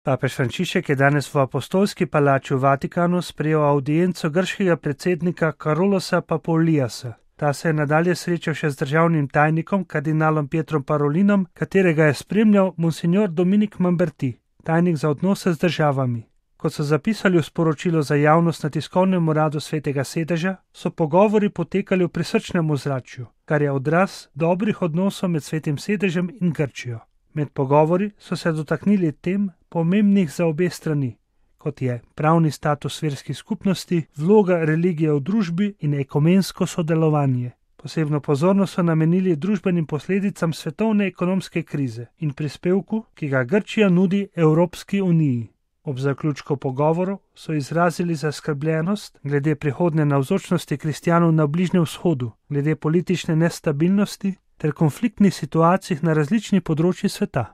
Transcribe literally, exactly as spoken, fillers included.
Papež Frančišek je danes v apostolski palači v Vatikanu sprejel avdienco grškega predsednika Karolosa Papouliasa. Ta se je nadalje srečal še z državnim tajnikom, kardinalom Pietrom Parolinom, katerega je spremljal monsignor Dominik Mamberti, tajnik za odnose z državami. Kot so zapisali v sporočilu za javnost na tiskovnem uradu Svetega sedeža, so pogovori potekali v prisrčnem ozračju, kar je odraz dobrih odnosov med Svetim sedežem in Grčijo. Med pogovori so se dotaknili tem pomembnih za obe strani, kot je pravni status verskih skupnosti, vloga religije v družbi in ekumensko sodelovanje. Posebno pozornost so namenili družbenim posledicam svetovne ekonomske krize in prispevku, ki ga Grčija nudi Evropski uniji. Ob zaključku pogovorov so izrazili zaskrbljenost glede prihodnje navzočnosti kristjanov na Bližnjem vzhodu, glede politične nestabilnosti ter konfliktnih situacij na različnih področjih sveta.